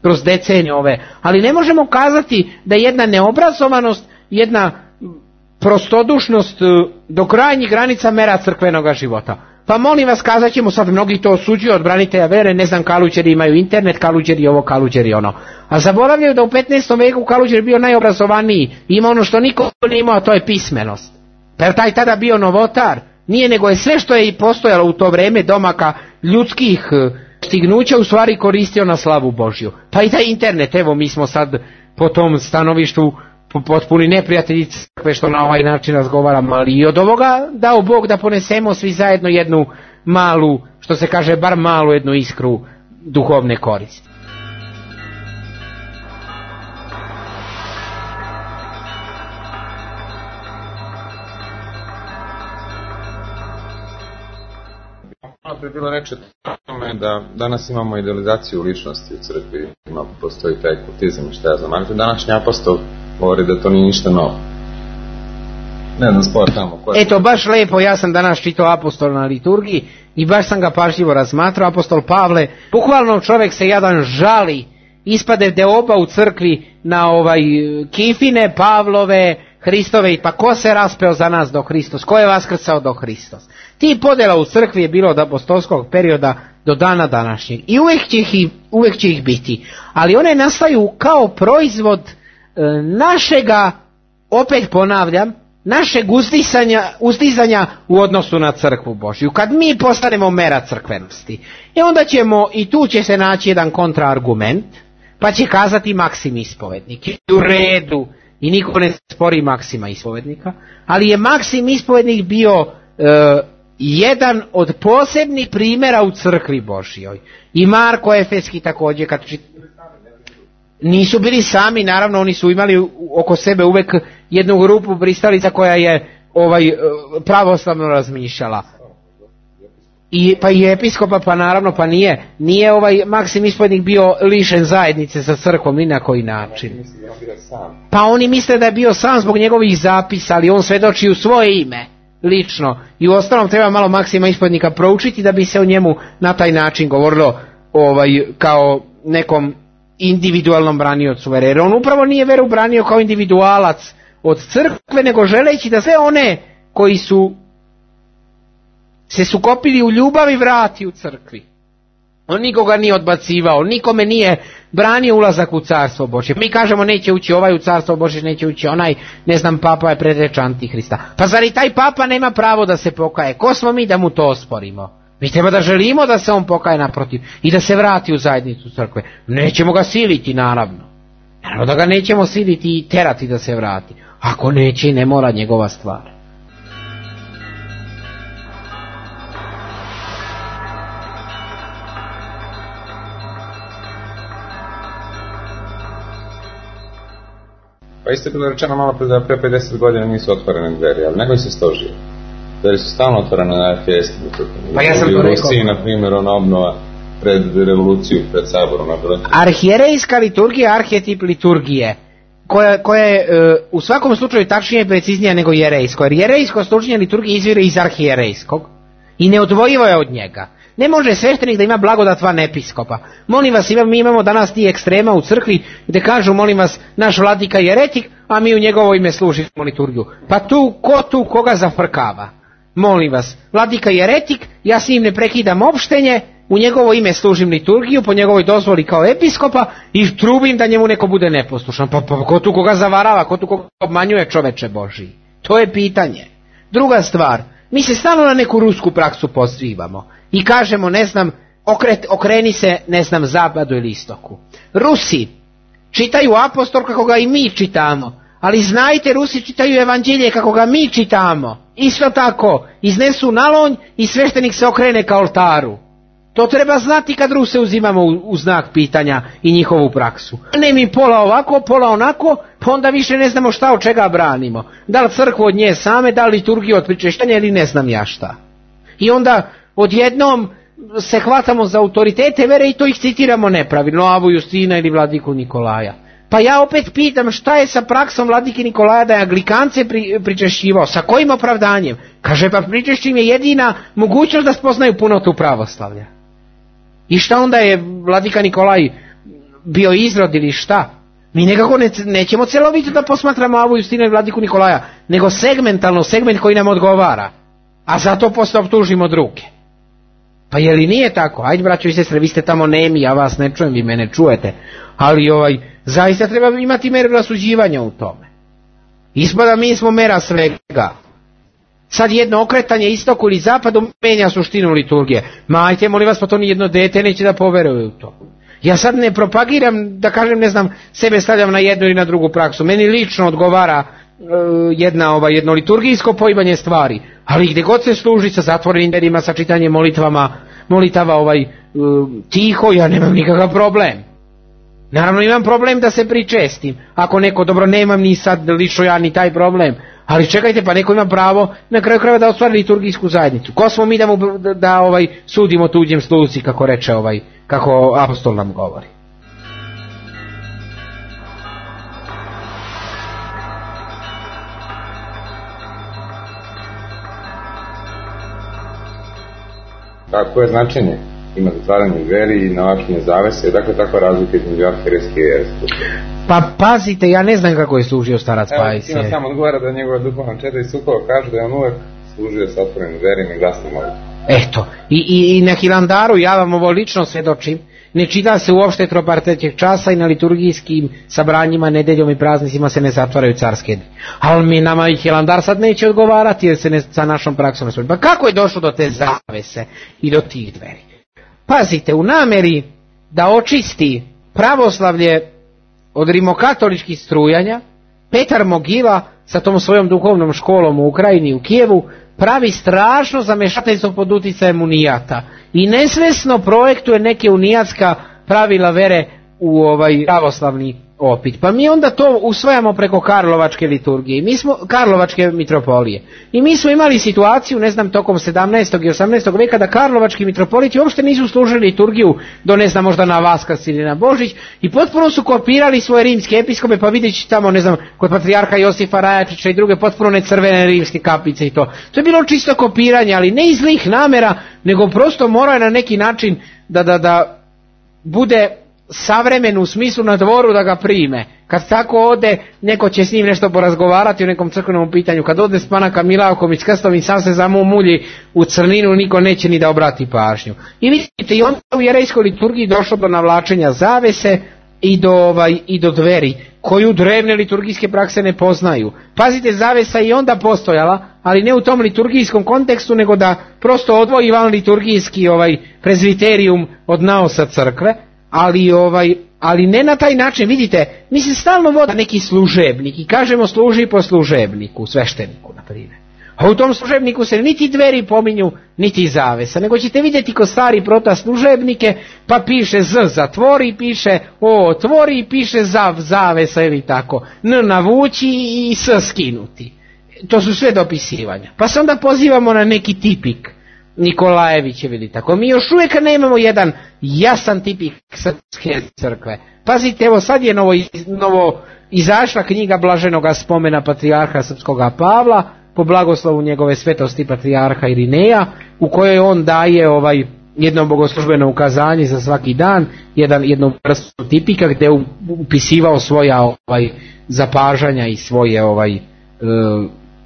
Speaker 3: kroz decenije ove, ali ne možemo kazati da jedna neobrazovanost, jedna prostodušnost do krajnjih granica mera crkvenoga života. Pa molim vas, kazat ćemo sad, mnogi to osuđuju od branitelja vere, ne znam, Kaluđeri imaju internet, Kaluđeri ovo, Kaluđeri ono. A zaboravljaju da u 15. veku Kaluđer bio najobrazovaniji, ima ono što niko nije imao, a to je pismenost. Pa je taj tada bio novotar? Nije, nego je sve što je i postojalo u to vreme domaka ljudskih stignuća u stvari koristio na slavu Božju. Pa i taj internet, evo mi smo sad po tom stanovištu potpuni neprijatelji crkve što na ovaj način razgovaramo, ali i od ovoga dao Bog da ponesemo svi zajedno jednu malu, što se kaže, bar malu jednu iskru duhovne koristi.
Speaker 4: Malo pre bilo reče tome da danas imamo idealizaciju ličnosti u crkvi, postoji taj kultizam i šta ja znam, ali današnji apostol govori da to nije ništa novo. Ne znam, spora tamo.
Speaker 3: Eto, baš lepo, ja sam danas čitao apostola na liturgiji i baš sam ga pažljivo razmatrao. Apostol Pavle, bukvalno čovjek se jedan žali, ispade deoba u crkvi na kifine Pavlove, Hristove, pa ko se raspeo za nas do Hristos, ko je vaskrcao do Hristos. Ti podjela u crkvi je bilo od apostolskog perioda do dana današnjeg i uvijek će ih biti, ali one nastaju kao proizvod našega, opet ponavljam, našeg uzdizanja u odnosu na crkvu Božju. Kad mi postanemo mera crkvenosti, onda ćemo, i tu će se naći jedan kontraargument, pa će kazati Maksim ispovednik, u redu, i niko ne spori Maksima ispovednika, ali je Maksim ispovednik bio jedan od posebnih primjera u crkvi Božjoj. I Marko Efeski također, nisu bili sami, naravno oni su imali oko sebe uvek jednu grupu pristalica koja je pravoslavno razmišljala. Pa i episkopa, pa naravno, pa nije Maksim ispovednik bio lišen zajednice sa crkvom ni na koji način. Pa oni misle da je bio sam zbog njegovih zapisa, ali on svedoči u svoje ime, lično. I u ostalom treba malo Maksima ispovednika proučiti da bi se o njemu na taj način govorilo kao nekom individualnom braniocu vere. Jer on upravo nije veru branio kao individualac od crkve, nego želeći da sve one koji su se sukopili u ljubavi vrati u crkvi. On nikoga nije odbacivao, nikome nije branio ulazak u carstvo Božje. Mi kažemo neće ući ovaj u carstvo Božje, neće ući onaj, ne znam, papa je predreč Antihrista. Pa zar i taj papa nema pravo da se pokaje? Ko smo mi da mu to osporimo? Mi treba da želimo da se on pokaje, naprotiv, i da se vrati u zajednicu crkve. Nećemo ga siliti, naravno. Naravno da ga nećemo siliti i terati da se vrati. Ako neće, ne mora, njegova stvar.
Speaker 4: Pa isto je bilo rečeno malo pre da pre 50 godina nisu otvorene dveri, ali nego se stožio. Dveri su stalno otvorene na FS.
Speaker 3: Pa ja sam to rekao.
Speaker 4: U Rusiji, na primjer, obnova pred revoluciju, pred saborom.
Speaker 3: Arhijerejska liturgija, arhetip liturgije, koja je u svakom slučaju tačnije i preciznija nego jerejsko. Jer jerejsko služenje liturgije izvire iz arhijerejskog i neodvojivo je od njega. Ne može sveštenik da ima blagodat van episkopa. Molim vas, mi imamo danas ti ekstrema u crkvi gdje kažu, molim vas, naš vladika je eretik, a mi u njegovo ime služimo liturgiju. Pa ko koga zafrkava? Molim vas, vladika je eretik, ja s njim ne prekidam opštenje, u njegovo ime služim liturgiju, po njegovoj dozvoli kao episkopa i trubim da njemu neko bude neposlušan. Pa ko tu koga zavarava, ko tu koga obmanjuje, čoveče Božji? To je pitanje. Druga stvar, mi se stalno na neku rusku praksu pozivamo i kažemo, ne znam, okreni se, ne znam, zapadu ili istoku. Rusi čitaju apostol kako ga i mi čitamo, ali znajte, Rusi čitaju evanđelje kako ga mi čitamo. Isto tako, iznesu nalonj i sveštenik se okrene ka oltaru. To treba znati kad Ruse uzimamo u znak pitanja i njihovu praksu. Ne mi pola ovako, pola onako, pa onda više ne znamo šta od čega branimo. Da li crkvu od nje same, da li liturgiju od pričešćanja ili ne znam ja šta. I onda odjednom se hvatamo za autoritete vere i to ih citiramo nepravilno, Avu Justina ili vladiku Nikolaja. Pa ja opet pitam šta je sa praksom vladike Nikolaja da je Anglikance pričešćivao, sa kojim opravdanjem? Kaže pa pričešćim je jedina mogućnost da spoznaju punotu pravoslavlja. I šta onda je vladika Nikolaj bio izrod ili šta? Mi nekako nećemo celovito da posmatramo Avu Justinu i vladiku Nikolaja, nego segmentalno, segment koji nam odgovara. A zato posle optužimo druge. Pa je li nije tako? Ajde braćo i sestre, vi ste tamo nemi, ja vas ne čujem, vi mene čujete. Ali zaista treba imati meru rasuđivanja u tome. Ispada mi smo mera svega. Sad jedno okretanje istoku ili zapadu menja suštinu liturgije. Ma ajte, molim vas, pa to ni jedno dete neće da poveruje u to. Ja sad ne propagiram, da kažem, ne znam, sebe stavljam na jednu ili na drugu praksu. Meni lično odgovara jedno liturgijsko poimanje stvari. Ali gdje god se služi sa zatvorenim dverima, sa čitanjem molitava tiho, ja nemam nikakav problem. Naravno imam problem da se pričestim. Ako neko, dobro, nemam ni sad lično ja ni taj problem. Ali čekajte, pa neko ima pravo na kraju krajeva da ostvari liturgijsku zajednicu. Ko smo mi da sudimo tuđem sluzi, kako reče kako apostol nam govori.
Speaker 4: Kako je značenje? Ima zatvaranje veri i navakinje zavese, dakle takva razlika između arhijerejske i jereske.
Speaker 3: Pa pazite, ja ne znam kako je služio starac Pajsije.
Speaker 4: Evo, sam odgovara da njegova duhovna čeda i Sukova kažu da je on uvek služio sa otvorenim verima i glasnom molitvom.
Speaker 3: Eto, i na Hilandaru, ja vam ovo lično svedočim, ne čita se uopšte trobar trećeg časa i na liturgijskim sabranjima, nedeljom i praznicima se ne zatvaraju carske dni. Ali nama i Hilandar sad neće odgovarati jer se ne sa našom praksom ne služi. Pa kako je došlo do te zavese i do tih dveri? Pazite, u nameri da očisti pravoslavlje od rimokatoličkih strujanja, Petar Mogila sa tom svojom duhovnom školom u Ukrajini i u Kijevu pravi strašno zamešateljstvo pod uticajem unijata i nesvesno projektuje neke unijatska pravila vere u pravoslavni opit. Pa mi onda to usvajamo preko Karlovačke liturgije, Karlovačke mitropolije. I mi smo imali situaciju, ne znam, tokom 17. i 18. veka da Karlovački mitropoliti uopšte nisu služili liturgiju do, ne znam, možda na Vaskrs ili na Božić i potpuno su kopirali svoje rimske episkope, pa vidjet tamo, ne znam, kod patrijarha Josifa Rajačića i druge potpuno ne crvene rimske kapice i to. To je bilo čisto kopiranje, ali ne iz zlih namera, nego prosto mora na neki način da bude savremen u smislu na dvoru da ga prime. Kad tako ode, neko će s njim nešto porazgovarati o nekom crkvenom pitanju. Kad ode s Panaka Milavkom i s krstom i sam se zamumulji u crninu, niko neće ni da obrati pažnju. I vidite, i onda u jerejskoj liturgiji došlo do navlačenja zavese i do dveri, koju drevne liturgijske prakse ne poznaju. Pazite, zavesa je i onda postojala, ali ne u tom liturgijskom kontekstu, nego da prosto odvoji van liturgijski prezviterijum od naosa crkve. Ali ne na taj način, vidite, mi se stalno vodi neki služebnik i kažemo služi po služebniku, svešteniku, na primjer. A u tom služebniku se niti dveri pominju, niti zavesa, nego ćete vidjeti ko stari prota služebnike, pa piše z zatvori, piše o otvori, piše zav zavesa ili tako, n navući i s skinuti. To su sve dopisivanja. Pa se onda pozivamo na neki tipik Nikolajevićev ili tako. Mi još uvijek nemamo jedan jasan tipik srpske crkve. Pazite, evo sad je novo izašla knjiga blaženoga spomena patrijarha srpskoga Pavla po blagoslovu njegove svetosti patrijarha Irineja, u kojoj on daje jedno bogoslužbeno ukazanje za svaki dan, jednu vrstu tipika gdje je upisivao svoja zapažanja i svoje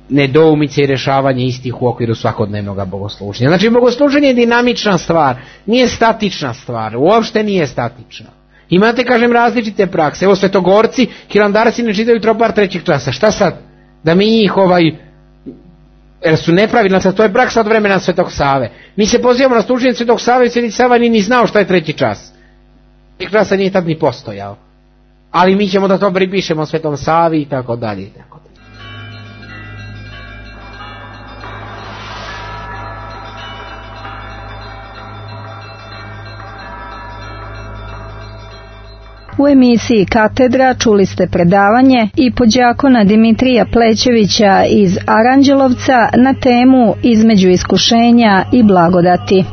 Speaker 3: nedoumice i rješavanje istih u okviru svakodnevnog bogosluženja. Znači, bogosluženje je dinamična stvar, nije statična stvar, uopšte nije statična. Imate, kažem, različite prakse. Evo, svetogorci, hilandarci ne čitaju tropar trećeg časa. Šta sad? Da mi njih jer su nepravilna, to je praksa od vremena Svetog Save. Mi se pozivamo na služenje Svetog Save i Sveti Sava ni znao šta je treći čas. Treći časa nije tad ni postojao. Ali mi ćemo da to pripišemo Svetom Savi i tako dalje i tako dalje.
Speaker 2: U emisiji Katedra čuli ste predavanje i podjakona Dimitrija Plećevića iz Aranđelovca na temu Između iskušenja i blagodati.